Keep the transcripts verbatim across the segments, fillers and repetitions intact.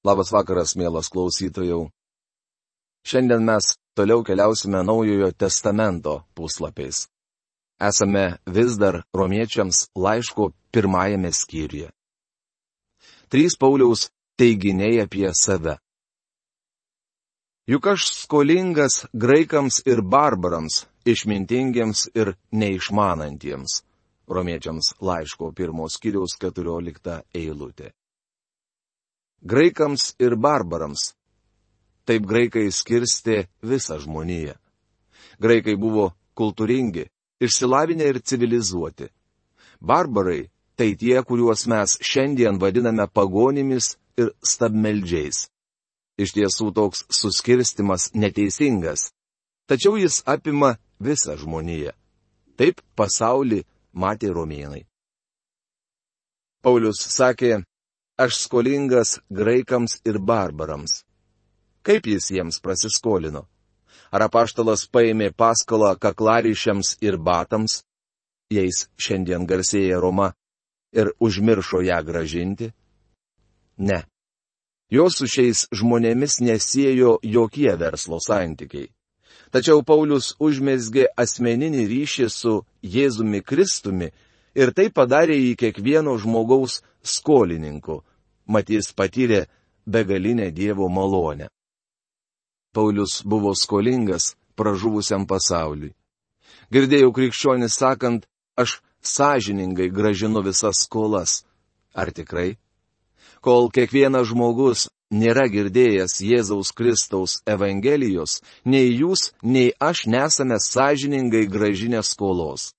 Labas vakaras, mielas klausytojau. Šiandien mes toliau keliausime Naujojo testamento puslapiais. Esame vis dar romiečiams laiško pirmajame skyriuje. Trys Pauliaus teiginiai apie save. Juk aš skolingas graikams ir barbarams, išmintingiems ir neišmanantiems. Romiečiams laiško pirmos skyriaus keturiolikta eilutė. Graikams ir barbarams. Taip graikai skirstė visą žmoniją. Graikai buvo kultūringi, išsilavinę ir civilizuoti. Barbarai tai tie, kuriuos mes šiandien vadiname pagonimis ir stabmeldžiais. Iš tiesų toks suskirstimas neteisingas, tačiau jis apima visą žmoniją. Taip pasaulį matė romėnai. Paulius sakė, aš skolingas graikams ir barbarams. Kaip jis jiems prasiskolino? Ar apaštalas paėmė paskolą kaklaryšiams ir batams, jais šiandien garsėja Roma, ir užmiršo ją gražinti? Ne. Jo su šiais žmonėmis nesiejo jokie verslo santykiai. Tačiau Paulius užmezgė asmeninį ryšį su Jėzumi Kristumi ir tai padarė jį kiekvieno žmogaus skolininku. Mat jis patyrė begalinę Dievo malonę. Paulius buvo skolingas pražuvusiam pasauliui. Girdėjau krikščionis sakant, aš sąžiningai gražinu visas skolas. Ar tikrai? Kol kiekvienas žmogus nėra girdėjęs Jėzaus Kristaus Evangelijos, nei jūs, nei aš nesame sąžiningai gražinę skolos.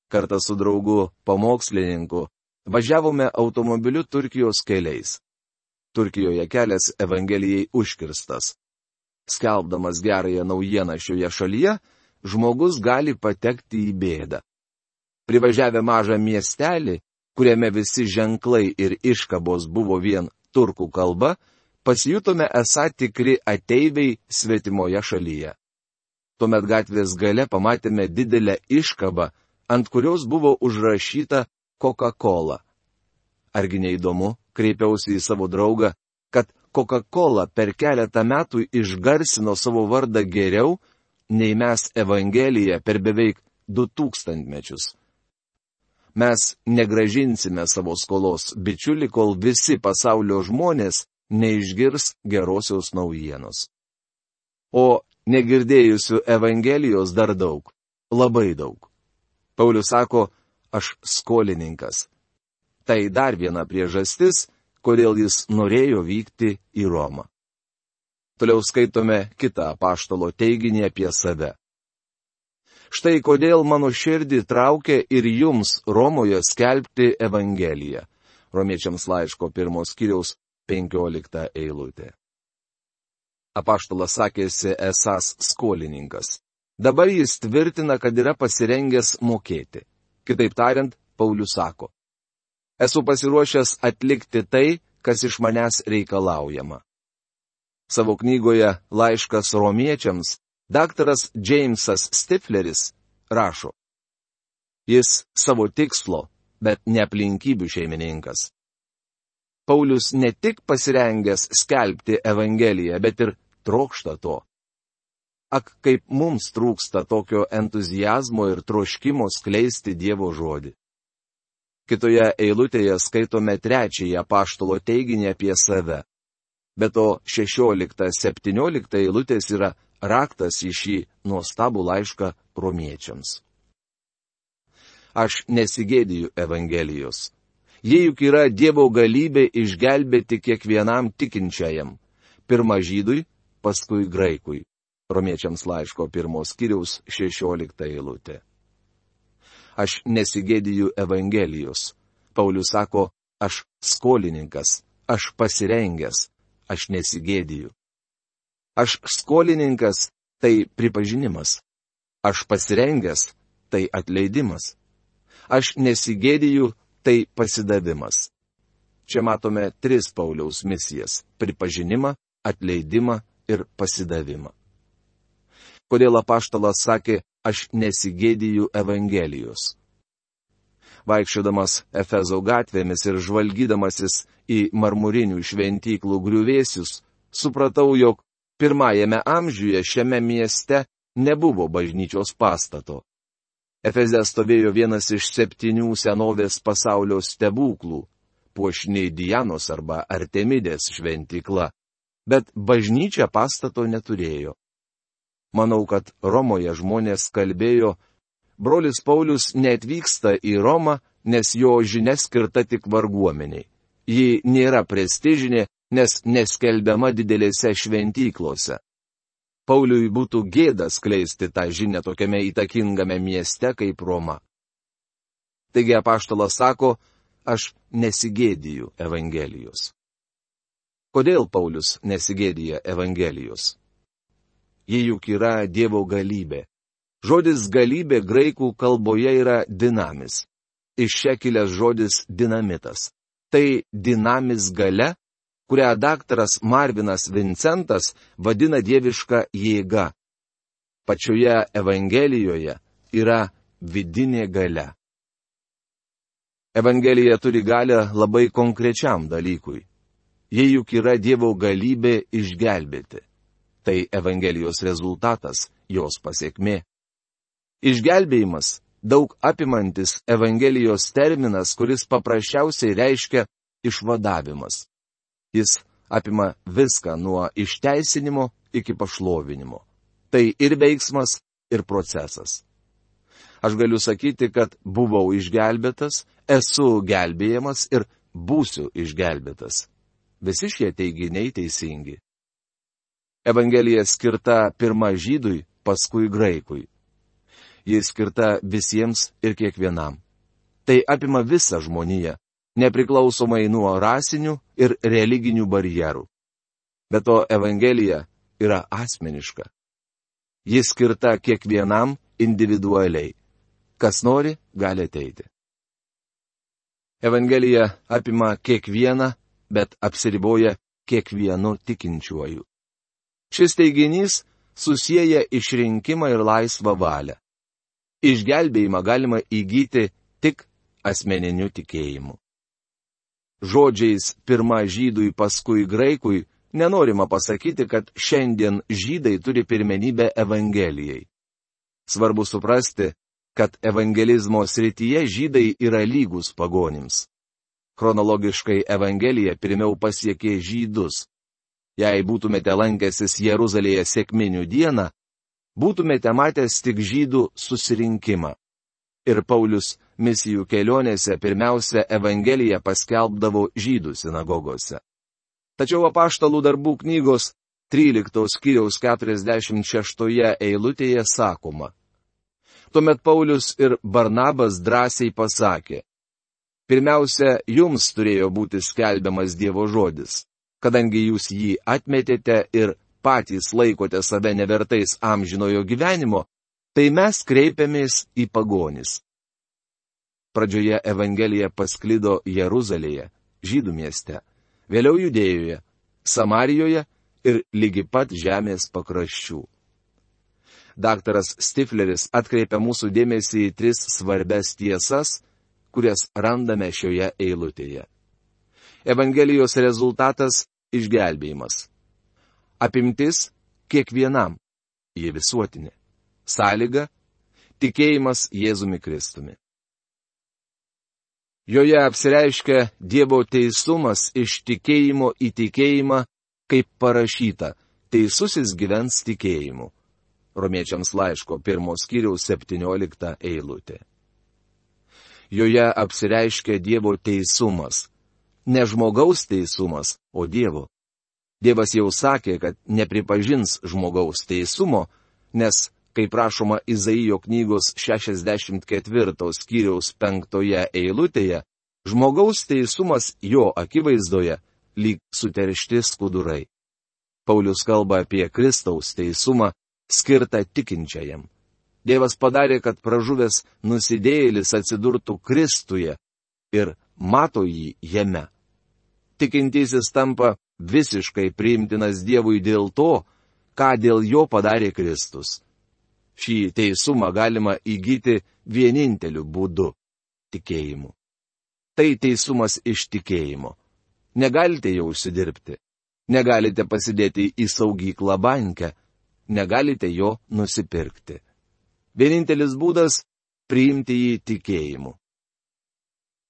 Kartą su draugu pamokslininku važiavome automobiliu Turkijos keliais. Turkijoje kelias Evangelijai užkirstas. Skelbdamas gerąją naujieną šioje šalyje, žmogus gali patekti į bėdą. Privažiavę mažą miestelį, kuriame visi ženklai ir iškabos buvo vien turkų kalba, pasijutome esą tikri ateiviai svetimoje šalyje. Tuomet gatvės gale pamatėme didelę iškabą, ant kurios buvo užrašyta Coca-Cola. Argi neįdomu, kreipiausi į savo draugą, kad Coca-Cola per keletą metų išgarsino savo vardą geriau, nei mes Evangeliją per beveik du tūkstantmečius. Mes negražinsime savo skolos, bičiuli, kol visi pasaulio žmonės neišgirs gerosios naujienos. O negirdėjusių Evangelijos dar daug, labai daug. Paulius sako, aš skolininkas. Tai dar viena priežastis, kodėl jis norėjo vykti į Romą. Toliau skaitome kitą apaštalo teiginį apie save. Štai kodėl mano širdį traukia ir jums Romoje skelbti Evangeliją. Romiečiams laiško pirmos skyriaus penkiolikta eilutė. Apaštalas sakėsi esąs skolininkas. Dabar jis tvirtina, kad yra pasirengęs mokėti. Kitaip tariant, Paulius sako, esu pasiruošęs atlikti tai, kas iš manęs reikalaujama. Savo knygoje Laiškas romiečiams daktaras Džeimsas Stifleris rašo, jis savo tikslo, bet ne aplinkybių šeimininkas. Paulius ne tik pasirengęs skelbti Evangeliją, bet ir trokšta to. Ak, kaip mums trūksta tokio entuzijazmo ir troškimo skleisti Dievo žodį. Kitoje eilutėje skaitome trečiąjį apaštalo teiginį apie save. Be to šešiolikta septyniolikta eilutės yra raktas į šį nuostabų laišką romiečiams. Aš nesigėdiju Evangelijos. Jie juk yra Dievo galybė išgelbėti kiekvienam tikinčiajam. Pirma žydui, paskui graikui. Romiečiams laiško pirmos skyriaus šešiolikta eilutė. Aš nesigėdiju Evangelijos. Paulius sako, aš skolininkas, aš pasirengęs, aš nesigėdiju. Aš skolininkas, tai pripažinimas. Aš pasirengęs, tai atleidimas. Aš nesigėdiju, tai pasidavimas. Čia matome tris Pauliaus misijas - pripažinimą, atleidimą ir pasidavimą. Kodėl apaštalas sakė, aš nesigėdiju Evangelijos? Vaikščiodamas Efezo gatvėmis ir žvalgydamasis į marmurinių šventyklų griuvėsius, supratau, jog pirmajame amžiuje šiame mieste nebuvo bažnyčios pastato. Efeze stovėjo vienas iš septynių senovės pasaulio stebuklų - puošni Dianos arba Artemidės šventykla, bet bažnyčia pastato neturėjo. Manau, kad Romoje žmonės kalbėjo, brolis Paulius neatvyksta į Romą, nes jo žinia skirta tik varguomeniai. Ji nėra prestižinė, nes neskelbiama didelėse šventyklose. Pauliui būtų gėda skleisti tą žinią tokiame įtakingame mieste kaip Roma. Taigi apaštalas sako, aš nesigėdiju Evangelijos. Kodėl Paulius nesigėdija Evangelijos? Ji juk yra Dievo galybė. Žodis galybė graikų kalboje yra dinamis. Iš čia kilęs žodis dinamitas. Tai dinamis galia, kurią daktaras Marvinas Vincentas vadina dieviška jėga. Pačioje Evangelijoje yra vidinė galia. Evangelija turi galią labai konkrečiam dalykui. Jie juk yra Dievo galybė išgelbėti. Tai Evangelijos rezultatas, jos pasiekmė. Išgelbėjimas – daug apimantis Evangelijos terminas, kuris paprasčiausiai reiškia išvadavimas. Jis apima viską nuo išteisinimo iki pašlovinimo. Tai ir veiksmas, ir procesas. Aš galiu sakyti, kad buvau išgelbėtas, esu gelbėjamas ir būsiu išgelbėtas. Visi šie teiginiai teisingi. Evangelija skirta pirma žydui, paskui graikui. Ji skirta visiems ir kiekvienam. Tai apima visą žmoniją, nepriklausomai nuo rasinių ir religinių barjerų. Be to Evangelija yra asmeniška. Ji skirta kiekvienam individualiai. Kas nori, gali ateiti. Evangelija apima kiekvieną, bet apsiriboja kiekvienu tikinčiuoju. Šis teiginys susieja išrinkimą ir laisvą valią. Išgelbėjimą galima įgyti tik asmeniniu tikėjimu. Žodžiais pirma žydui, paskui graikui nenorima pasakyti, kad šiandien žydai turi pirmenybę Evangelijai. Svarbu suprasti, kad evangelizmo srityje žydai yra lygus pagonims. Chronologiškai Evangelija pirmiau pasiekė žydus. Jei būtumėte lankęsis Jeruzalėje sekminių dieną, būtumėte matęs tik žydų susirinkimą. Ir Paulius misijų kelionėse pirmiausia Evangeliją paskelbdavo žydų sinagogose. Tačiau apaštalų darbų knygos tryliktos skyriaus keturiasdešimt šeštoje eilutėje sakoma. Tuomet Paulius ir Barnabas drąsiai pasakė, pirmiausia, jums turėjo būti skelbiamas Dievo žodis. Kadangi jūs jį atmetėte ir patys laikote save nevertais amžinojo gyvenimo, tai mes kreipiamės į pagonis. Pradžioje Evangelija pasklido Jeruzalėje, žydų mieste, vėliau Judėjoje, Samarijoje ir lygi pat žemės pakraščių. Daktaras Stifleris atkreipia mūsų dėmesį į tris svarbias tiesas, kurias randame šioje eilutėje. Evangelijos rezultatas – išgelbėjimas. Apimtis – kiekvienam, jie visuotinė. Sąlyga – tikėjimas Jėzumi Kristumi. Joje apsireiškia Dievo teisumas iš tikėjimo į tikėjimą, kaip parašyta, teisusis gyvens tikėjimu. Romiečiams laiško pirmos skyriaus septyniolikta eilutė. Joje apsireiškia Dievo teisumas. Ne žmogaus teisumas, o Dievo. Dievas jau sakė, kad nepripažins žmogaus teisumo, nes, kaip rašoma Izaijo knygos šešiasdešimt ketvirtos skyriaus penktoje eilutėje, žmogaus teisumas jo akivaizdoje lyg suteršti skudurai. Paulius kalba apie Kristaus teisumą, skirtą tikinčiajam. Dievas padarė, kad pražuvęs nusidėjėlis atsidurtų Kristuje ir mato jį jame. Tikintysis tampa visiškai priimtinas Dievui dėl to, ką dėl jo padarė Kristus. Šį teisumą galima įgyti vieninteliu būdu – tikėjimu. Tai teisumas iš tikėjimo. Negalite jo užsidirbti. Negalite pasidėti į saugyklą bankę. Negalite jo nusipirkti. Vienintelis būdas - priimti jį tikėjimu.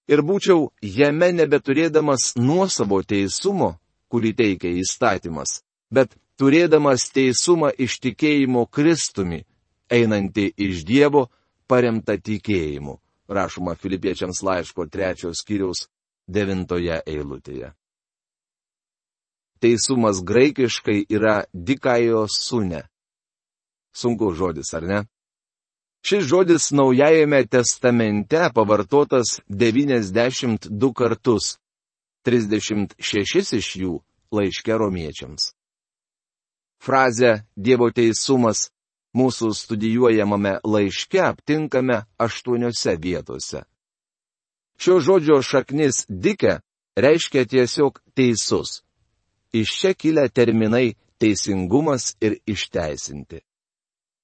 Ir būčiau jame nebeturėdamas nuosavo teisumo, kurį teikia įstatymas, bet turėdamas teisumą iš tikėjimo Kristumi, einantį iš Dievo, paremta tikėjimu, rašoma Filipiečiams laiško trečios skyriaus devintoje eilutėje. Teisumas graikiškai yra dikaios sune. Sunku žodis, ar ne? Šis žodis Naujajame testamente pavartotas devyniasdešimt du kartus, trisdešimt šešis iš jų laiške romiečiams. Frazę Dievo teisumas mūsų studijuojamame laiške aptinkame aštuoniose vietose. Šio žodžio šaknis dike reiškia tiesiog teisus. Iš čia kilę terminai teisingumas ir išteisinti.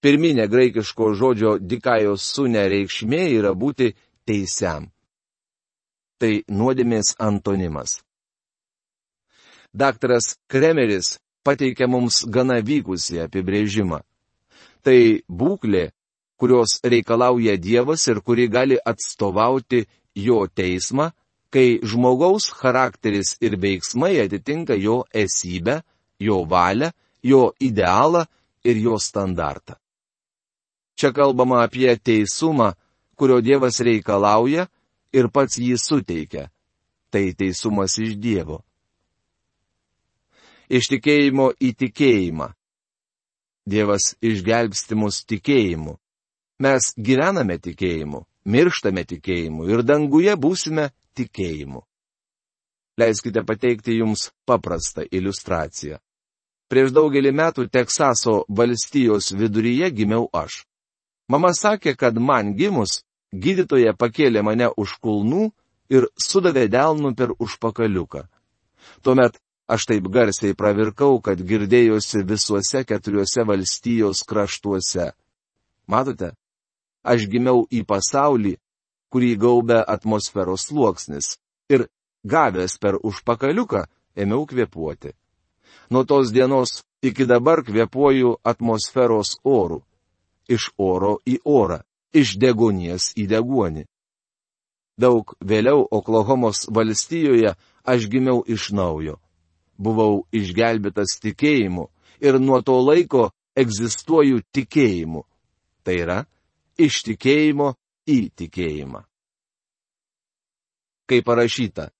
Pirminė graikiško žodžio dikaios sune reikšmė yra būti teisiam. Tai nuodėmės antonimas. Daktaras Kremeris pateikia mums gana vykusį apibrėžimą. Tai būklė, kurios reikalauja Dievas ir kuri gali atstovauti jo teismą, kai žmogaus charakteris ir veiksmai atitinka jo esybę, jo valią, jo idealą ir jo standartą. Čia kalbama apie teisumą, kurio Dievas reikalauja ir pats jį suteikia. Tai teisumas iš Dievo. Iš tikėjimo į tikėjimą. Dievas išgelbsti mus tikėjimu. Mes gyvename tikėjimu, mirštame tikėjimu ir danguje būsime tikėjimu. Leiskite pateikti jums paprastą iliustraciją. Prieš daugelį metų Teksaso valstijos viduryje gimiau aš. Mama sakė, kad man gimus, gydytoja pakėlė mane už kulnų ir sudavė delnu per užpakaliuką. Tuomet aš taip garsiai pravirkau, kad girdėjosi visuose keturiuose valstijos kraštuose. Matote, aš gimiau į pasaulį, kurį gaubia atmosferos sluoksnis, ir gavęs per užpakaliuką ėmiau kvėpuoti. Nuo tos dienos iki dabar kvėpuoju atmosferos oru. Iš oro į orą, iš deguonies į deguonį. Daug vėliau Oklahomos valstijoje aš gimiau iš naujo. Buvau išgelbėtas tikėjimu ir nuo to laiko egzistuoju tikėjimu. Tai yra, iš tikėjimo į tikėjimą. Kaip parašyta.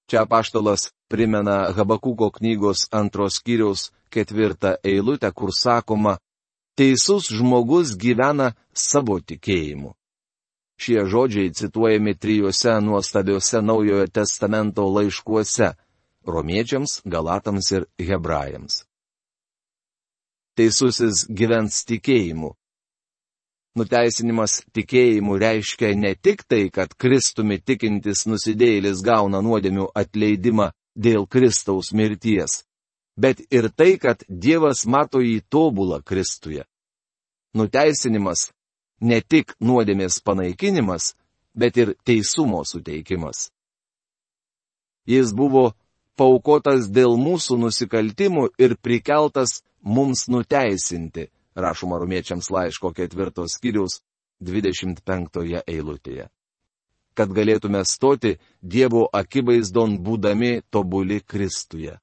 Čia apaštalas primena Habakuko knygos antros skyriaus ketvirtą eilutę, kur sakoma, teisus žmogus gyvena savo tikėjimu. Šie žodžiai cituojami trijuose nuostabiuose Naujojo testamento laiškuose - romiečiams, galatams ir hebrajams. Teisusis gyvens tikėjimu. Nuteisinimas tikėjimu reiškia ne tik tai, kad Kristumi tikintis nusidėjėlis gauna nuodėmių atleidimą dėl Kristaus mirties, bet ir tai, kad Dievas mato jį tobulą Kristuje. Nuteisinimas ne tik nuodėmės panaikinimas, bet ir teisumo suteikimas. Jis buvo paaukotas dėl mūsų nusikaltimų ir prikeltas mums nuteisinti, rašoma romiečiams laiško ketvirtos skyriaus dvidešimt penktoje eilutėje. Kad galėtume stoti Dievo akivaizdon būdami tobuli Kristuje.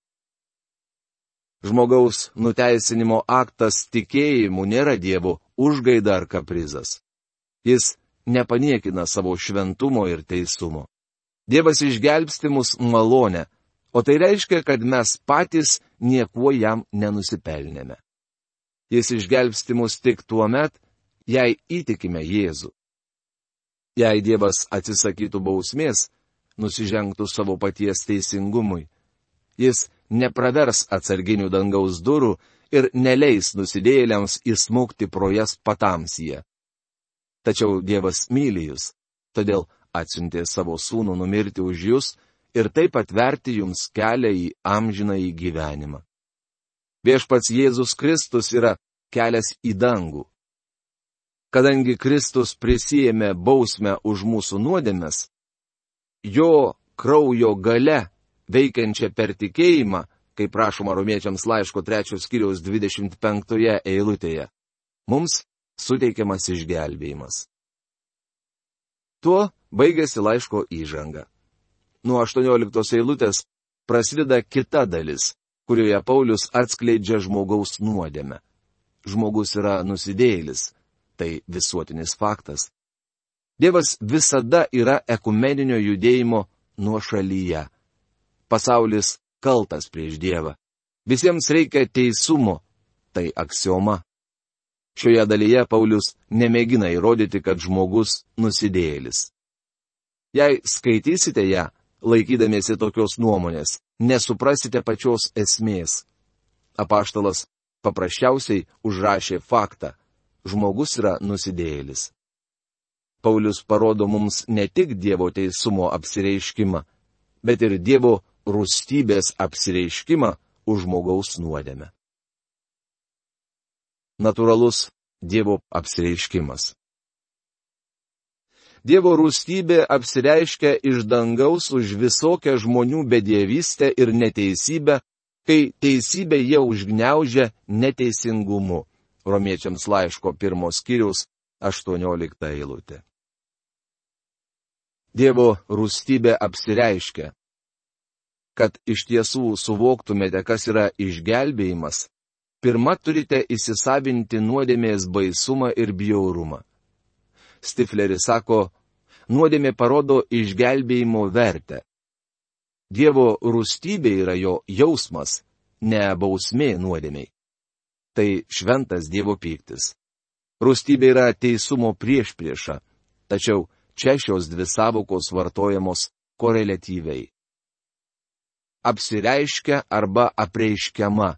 Žmogaus nuteisinimo aktas tikėjimu nėra Dievo užgaida ar kaprizas. Jis nepaniekina savo šventumo ir teisumo. Dievas išgelbsti mus malonę, o tai reiškia, kad mes patys niekuo jam nenusipelnėme. Jis išgelbsti mus tik tuo met, jei įtikime Jėzų. Jei Dievas atsisakytų bausmės, nusižengtų savo paties teisingumui, jis nepravers atsarginių dangaus durų ir neleis nusidėjėliams įsmukti pro jas patamsyje. Tačiau Dievas myli jūs, todėl atsiuntė savo sūnų numirti už jūs ir taip atverti jums kelią į amžinąjį gyvenimą. Viešpats Jėzus Kristus yra kelias į dangų. Kadangi Kristus prisijėmė bausmę už mūsų nuodėmes, jo kraujo gale, veikiančia per tikėjimą, kaip prašoma Romiečiams laiško trečios skyriaus dvidešimt penktoje eilutėje, mums suteikiamas išgelbėjimas. Tuo baigėsi laiško įžanga. Nuo aštuonioliktos eilutės prasideda kita dalis, kurioje Paulius atskleidžia žmogaus nuodėmę. Žmogus yra nusidėjėlis, tai visuotinis faktas. Dievas visada yra ekumeninio judėjimo nuošalyje. Pasaulis kaltas prieš Dievą. Visiems reikia teisumo, tai aksioma. Šioje dalyje Paulius nemėgina įrodyti, kad žmogus nusidėjėlis. Jei skaitysite ją, laikydamiesi tokios nuomonės, nesuprasite pačios esmės. Apaštalas paprasčiausiai užrašė faktą. Žmogus yra nusidėjėlis. Paulius parodo mums ne tik Dievo teisumo apsireiškimą, bet ir Dievo rūstybės apsireiškimą už žmogaus nuodėmę. Natūralus Dievo apsireiškimas. Dievo rūstybė apsireiškia iš dangaus už visokią žmonių bedievystę ir neteisybę, kai teisybę jie užgniaužia neteisingumu. Romiečiams laiško pirmos skyriaus aštuoniolikta eilutė. Dievo rūstybė apsireiškia. Kad iš tiesų suvoktumėte, kas yra išgelbėjimas, pirma turite įsisavinti nuodėmės baisumą ir bjaurumą. Stifleris sako, nuodėmė parodo išgelbėjimo vertę. Dievo rūstybė yra jo jausmas, ne bausmė nuodėmei. Tai šventas Dievo pyktis. Rūstybė yra teisumo priešprieša, tačiau čia šios dvi sąvokos vartojamos koreliatyviai. Apsireiškia arba apreiškiama.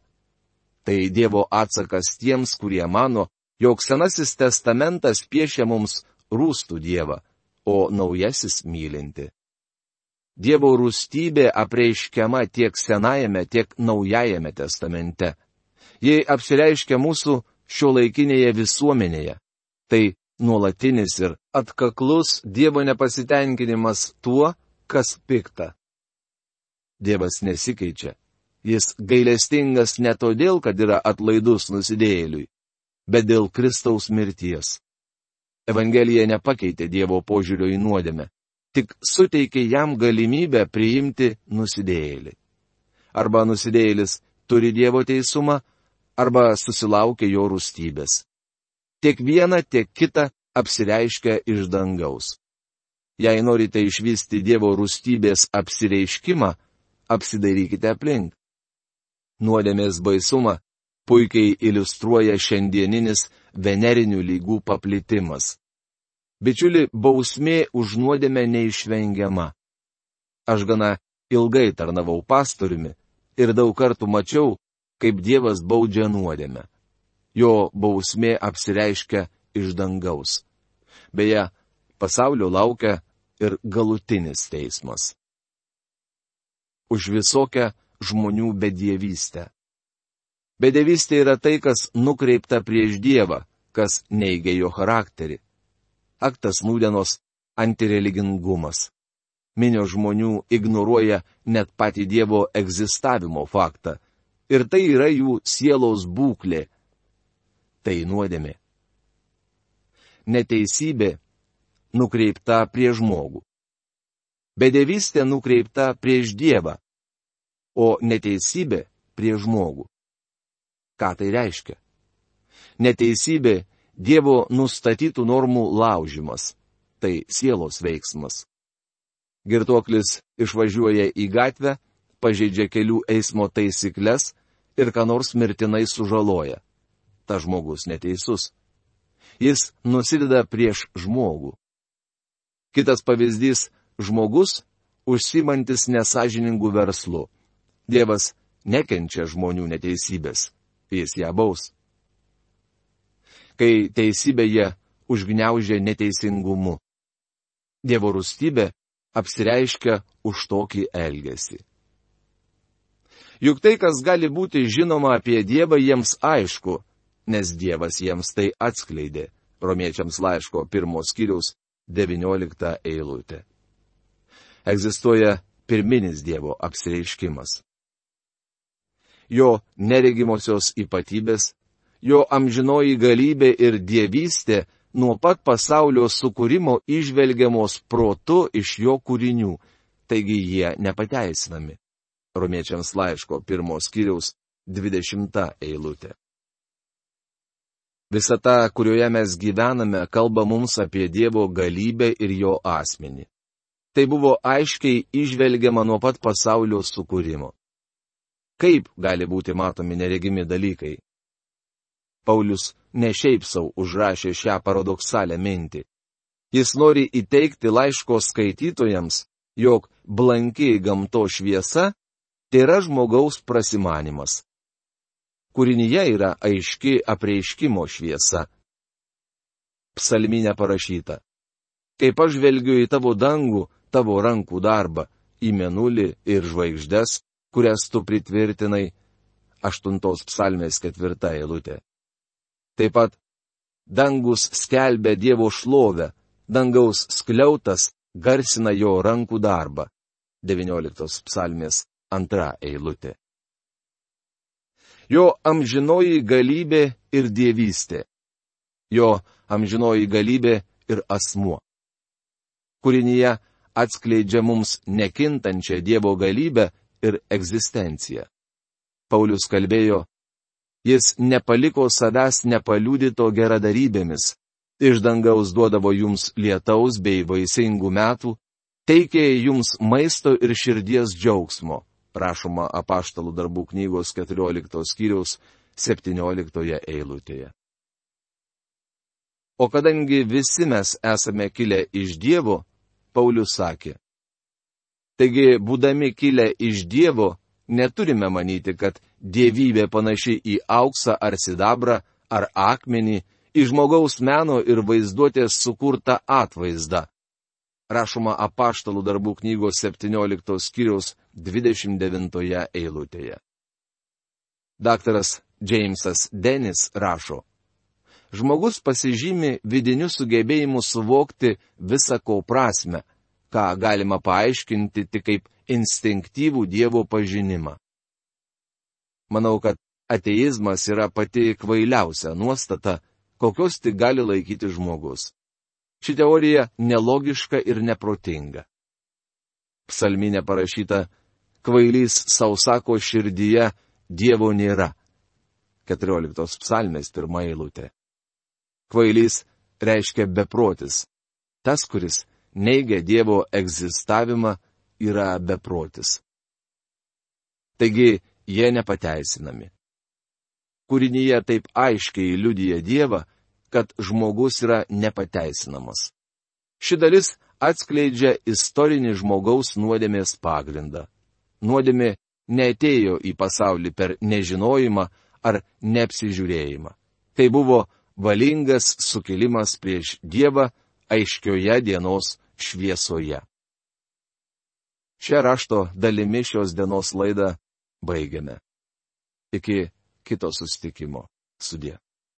Tai Dievo atsakas tiems, kurie mano, jog Senasis testamentas piešia mums rūstų Dievą, o naujasis mylinti. Dievo rūstybė apreiškiama tiek Senajame, tiek Naujajame testamente. Jei apsireiškia mūsų šiuolaikinėje visuomenėje, tai nuolatinis ir atkaklus Dievo nepasitenkinimas tuo, kas pikta. Dievas nesikeičia. Jis gailestingas ne todėl, kad yra atlaidus nusidėjėliui, bet dėl Kristaus mirties. Evangelija nepakeitė Dievo požiūrio į nuodėmę, tik suteikė jam galimybę priimti nusidėjėlį. Arba nusidėjėlis turi Dievo teisumą, arba susilaukia jo rūstybės. Tiek viena, tiek kita apsireiškia iš dangaus. Jei norite išvysti Dievo rūstybės apsireiškimą, apsidairykite aplink. Nuodėmės baisumą puikiai iliustruoja šiandieninis venerinių lygų paplitimas. Bičiuli, bausmė už nuodėmę neišvengiama. Aš gana ilgai tarnavau pastoriumi ir daug kartų mačiau, kaip Dievas baudžia nuodėmę. Jo bausmė apsireiškia iš dangaus. Beje, pasaulio laukia ir galutinis teismas. Už visokią žmonių bedievystę. Bedievystė yra tai, kas nukreipta prieš Dievą, kas neigia jo charakterį. Aktas nūdienos antireligingumas. Minios žmonių ignoruoja net patį Dievo egzistavimo faktą. Ir tai yra jų sielos būklė. Tai nuodėmė. Neteisybė nukreipta prieš žmogų. Bedievystė nukreipta prieš Dievą, o neteisybė prieš žmogų. Ką tai reiškia? Neteisybė Dievo nustatytų normų laužimas. Tai sielos veiksmas. Girtuoklis išvažiuoja į gatvę, pažeidžia kelių eismo taisyklės ir ką nors mirtinai sužaloja. Ta žmogus neteisus. Jis nusideda prieš žmogų. Kitas pavyzdys - žmogus, užsimantis nesažiningų verslų. Dievas nekenčia žmonių neteisybės. Jis ją baus. Kai teisybė jie užgniaužia neteisingumu. Dievo rūstybė apsireiškia už tokį elgesį. Juk tai, kas gali būti žinoma apie Dievą, jiems aišku, nes Dievas jiems tai atskleidė. Romiečiams laiško pirmos skyriaus devyniolikta eilutė. Egzistuoja pirminis Dievo apsireiškimas. Jo neregimosios ypatybės, jo amžinoji galybė ir dievystė nuo pat pasaulio sukūrimo įžvelgiamos protu iš jo kūrinių, taigi jie nepateisinami. Romiečiams laiško pirmos skyriaus dvidešimta eilutė. Visata, kurioje mes gyvename, kalba mums apie Dievo galybę ir jo asmenį. Tai buvo aiškiai įžvelgiama nuo pat pasaulio sukūrimo. Kaip gali būti matomi neregimi dalykai? Paulius ne šiaip sau užrašė šią paradoksalę mintį. Jis nori įteikti laiško skaitytojams, jog blanki gamto šviesa tėra žmogaus prasimanimas. Kūrinyje yra aiški apreiškimo šviesa. Psalminė parašyta: Kaip aš žvelgiu į tavo dangų, tavo rankų darbą, į mėnulį ir žvaigždes, kurias tu pritvirtinai. Aštuntos psalmės ketvirta eilutė. Taip pat dangus skelbia Dievo šlovę, dangaus skliautas garsina jo rankų darbą. devynioliktos psalmės antra eilutė. Jo amžinoji galybė ir dievystė. Jo amžinoji galybė ir asmuo. Kūrinyje atskleidžia mums nekintančią Dievo galybę ir egzistenciją. Paulius kalbėjo: Jis nepaliko savęs nepaliudyto geradarybėmis, iš dangaus duodavo jums lietaus bei vaisingų metų, teikė jums maisto ir širdies džiaugsmo, rašoma Apaštalų darbų knygos keturioliktos skyriaus septynioliktoje eilutėje. O kadangi visi mes esame kilę iš Dievo, Paulius sakė: Taigi, būdami kilę iš Dievo, neturime manyti, kad dievybė panaši į auksą ar sidabrą ar akmenį, į žmogaus meno ir vaizduotės sukurtą atvaizdą. Rašoma Apaštalų darbų knygos septynioliktos skyriaus dvidešimt devintoje eilutėje. Daktaras Džeimsas Denis rašo: Žmogus pasižymi vidiniu sugebėjimu suvokti visa ko prasme, ką galima paaiškinti tik kaip instinktyvų Dievo pažinimą. Manau, kad ateizmas yra pati kvailiausia nuostata, kokios tik gali laikyti žmogus. Ši teorija nelogiška ir neprotinga. Psalminė parašyta: Kvailys sau sako širdyje, Dievo nėra. keturioliktos psalmės pirma eilutė. Kvailys reiškia beprotis. Tas, kuris neigia Dievo egzistavimą, yra beprotis. Taigi, jie nepateisinami. Kūrinyje taip aiškiai liudija Dievą, kad žmogus yra nepateisinamas. Ši dalis atskleidžia istorinį žmogaus nuodėmės pagrindą. Nuodėmė neatėjo į pasaulį per nežinojimą ar neapsižiūrėjimą. Tai buvo valingas sukilimas prieš Dievą aiškioje dienos šviesoje. Šią rašto dalimi šios dienos laidą baigiame. Iki kito susitikimo. Sudie.